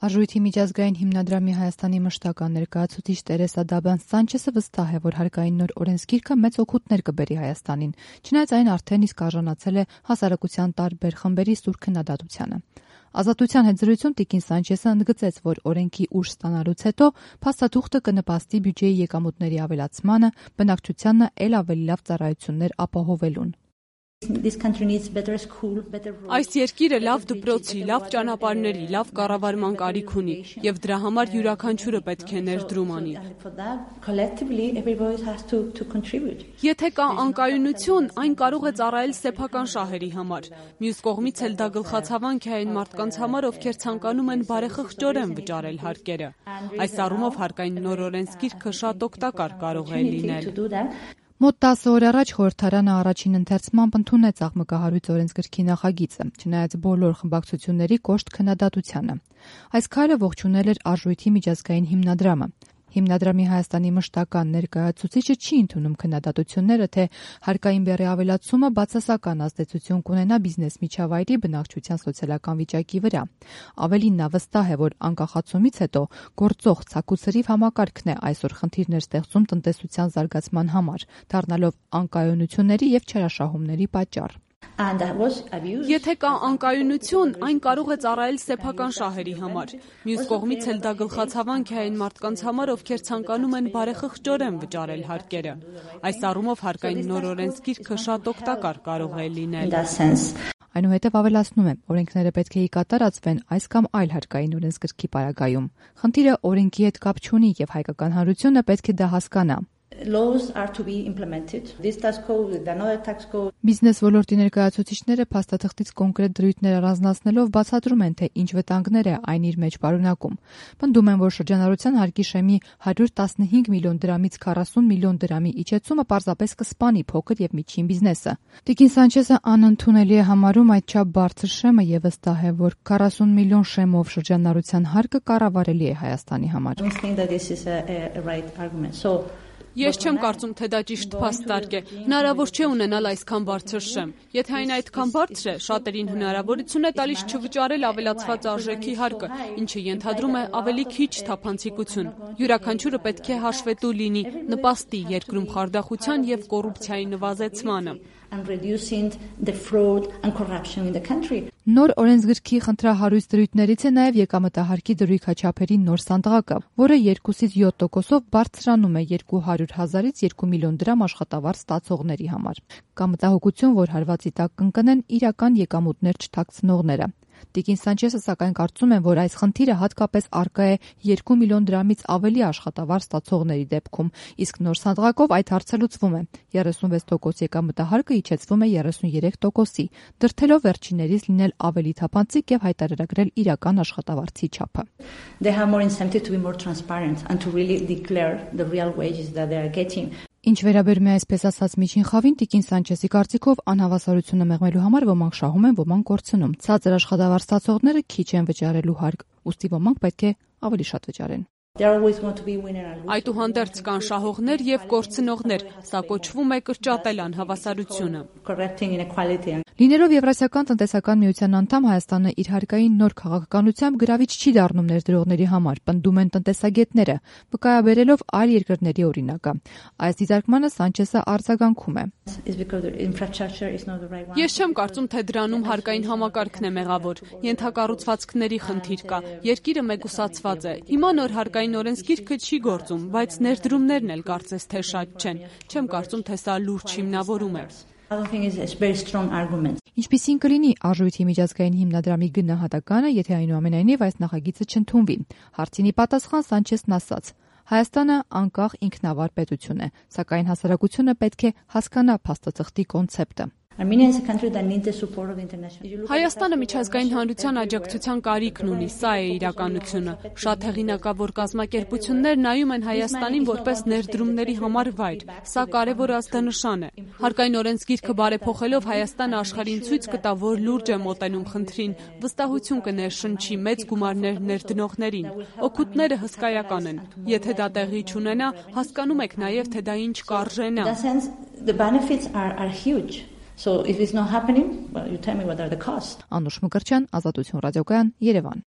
Արժույթի միջազգային հիմնադրամի Հայաստանի մշտական ներկայացուցիչ Տերեսա Դաբան-Սանչեսը վստահ է, որ հարկային նոր օրենսգիրքը մեծ օգուտներ կբերի Հայաստանին, չնայած այն արդեն իսկ արժանացել է հասարակության տարբեր խմբերի սուր քննադատությանը։ Ազատության հետ զրույցում տիկին Սանչեսը ընդգծեց, որ օրենքի ուժ ստանալուց հետո փաստաթուղթը կնպաստի բյուջեի եկամուտների ավելացմանը, բնակչությանը էլ ավելի լավ ծառայություններ ապահովելուն։ Այս երկիրը լավ դպրոցի, լավ ճանապարհների, լավ կառավարման կարիք ունի, եւ դրա համար յուրաքանչյուրը պետք է ներդրում անի։ Եթե կա անկայունություն, այն կարող է ծառայել սեփական շահերի համար։ Մյուս կողմից էլ դա գլխացավանք է այն մարդկանց համար, ովքեր ցանկանում են բարեխղճորեն վճարել հարկերը։ Այս առումով հարկային նոր օրենսգիրքը շատ օգտակար կարող է լինել։ Մոտ 10 օր առաջ խորհրդարանը առաջին ընթերցմամբ ընդունեց աղմկահարույց օրենսգրքի նախագիծը, չնայած բոլոր խմբակցությունների կոշտ քննադատությանը։ Այս քայլը ողջունել էր Արժույթի միջազգային հիմնադրամը։ Հիմնադրամի Հայաստանի մշտական ներկայացուցիչը չի ընդունում քննադատությունները, թե հարկային բեռի ավելացումը բացասական ազդեցություն կունենա բիզնես միջավայրի բնակչության սոցիալական վիճակի վրա։ Ավելին նա վստահ է, որ անկախացումից հետո գործող ցակուցրիվ համակարգն է այսօր խնդիրներ ստեղծում տնտեսության զարգացման համար, դառնալով անկայունությունների եւ չարաշահումների պատճառ։ Եթե կա անկայունություն, այն կարող է ծառայել սեփական շահերի համար։ Մյուս կողմից էլ դա գլխացավանք է այն մարդկանց համար, ովքեր ցանկանում են բարեխղճորեն վճարել հարկերը։ Այս առումով հարկային նոր օրենսգիրքը շատ օգտակար կարող է լինել։ Այնուհետև ավելացնում է, օրենքները պետք է կատարածվեն այս կամ այլ հարկային օրենսգրքի պարագայում։ Խնդիրը օրենքի հետ կապ չունի եւ հայկական հանրությունը պետք է դա հասկանա։ Բիզնես ոլորտի ներկայացուցիչները փաստաթղթից կոնկրետ դրույթներ առանձնացնելով բացատրում են, թե ինչ վտանգներ է այն իր մեջ պարունակում։ Պնդում են, որ շրջանառության հարկի շեմի 115 միլիոն դրամից 40 միլիոն դրամի իջեցումը պարզապես կսպանի փոքր եւ միջին բիզնեսը։ Տիկին Սանչեսը անընդունելի է համարում այդչափ բարձր շեմը եւ վստահ է, որ 40 միլիոն շեմով շրջանառության հարկը կառավարելի է Հայաստանի համար։ Ես չեմ կարծում, թե դա ճիշտ փաստարկ է։ Հնարավոր չէ ունենալ այսքան բարձր շեմ։ Եթե այն այդքան բարձր է, շատերին հնարավորություն է տալիս չվճարել ավելացված արժեքի հարկը, ինչը ենթադրում է ավելի քիչ թափանցիկություն։ Յուրաքանչյուրը պետք է հաշվետու լինի, նպաստի երկրում խարդախության եւ կոռուպցիայի նվազեցմանը։ Նոր օրենսգրքի խնդրահարույց դրույթներից է նաև եկամտահարկի դրույքաչափերի նոր սանդղակը, որը 2-ից 7%-ով բարձրանում է 200,000-ից 2 միլիոն դրամ աշխատավարձ ստացողների համար։ Կա մտահոգություն, որ հարվածի տակ կընկնեն իրական եկամուտներ չթաքցնողները։ Տիկին Սանչեսը սակայն կարծում է, որ այս խնդիրը հատկապես առկա է 2 միլիոն դրամից ավելի աշխատավարձ ստացողների դեպքում, իսկ նոր սանդղակով այդ հարցը լուծվում է։ 36% եկամտահարկը իջեցվում է 33%-ի, դրդելով վերջիններից լինել ավելի թափանցիկ եւ հայտարարագրել իրական աշխատավարձի չափը։ Ինչ վերաբերում է այսպես ասած միջին խավին, տիկին Սանչեսի կարծիքով անհավասարությունը մեղմելու համար ոմանք շահում են, ոմանք կորցնում։ Ցածր աշխատավարձ ստացողները քիչ են վճարելու հարկ, ուստի ոմանք պետք է ավելի շատ վճարեն։ Այդուհանդերձ կան շահողներ եւ կորցնողներ, սա կոչվում է կրճատել անհավասարությունը։ Լինելով Եվրասիական տնտեսական միության անդամ, Հայաստանը իր հարկային նոր քաղաքականությամբ գրավիչ չի դառնում ներդրողների համար, պնդում են տնտեսագետները, վկայաբերելով այլ երկրների օրինակը։ Այս դիտարկմանը Սանչեսը արձագանքում է։ Ես չեմ կարծում, թե դրանում հարկային համակարգն է մեղավոր։ Ենթակառուցվածքների խնդիր կա։ Երկիրը մեկուսացված է։ Հիմա նոր հարկային օրենսգիրքը չի գործում, բայց ներդրումներն էլ կարծես թե շատ չեն։ Չեմ կարծում, թե սա լուրջ հիմնավորում է։ Ինչպիսին կլինի Արժույթի միջազգային հիմնադրամի գնահատականը, եթե այնուամենայնիվ այս նախագիծը չընդունվի։ Հարցինի պատասխան Սանչեսն ասաց. Հայաստանը անկախ ինքնավար պետություն է, սակայն հասարակությունը պետք է հասկանա փաստաթղթի կոնցեպտը։ Հայաստանը միջազգային հանրության աջակցության կարիքն ունի, սա է իրականությունը։ Շատ հեղինակավոր կազմակերպություններ նայում են Հայաստանին որպես ներդրումների համար վայր։ Սա կարևոր ազդանշան է։ Հարկային օրենսգիրքը բարեփոխելով Հայաստանը աշխարհին ցույց կտա, որ լուրջ է մոտենում խնդրին, վստահություն կներշնչի մեծ գումարներ ներդնողներին։ Օգուտները հսկայական են։ Եթե դա տեղի չունենա, հասկանում եք նաև, թե դա ինչ կարժենա։ Անուշ Մկրտչյան, Ազատություն ռադիոկայան, Երևան։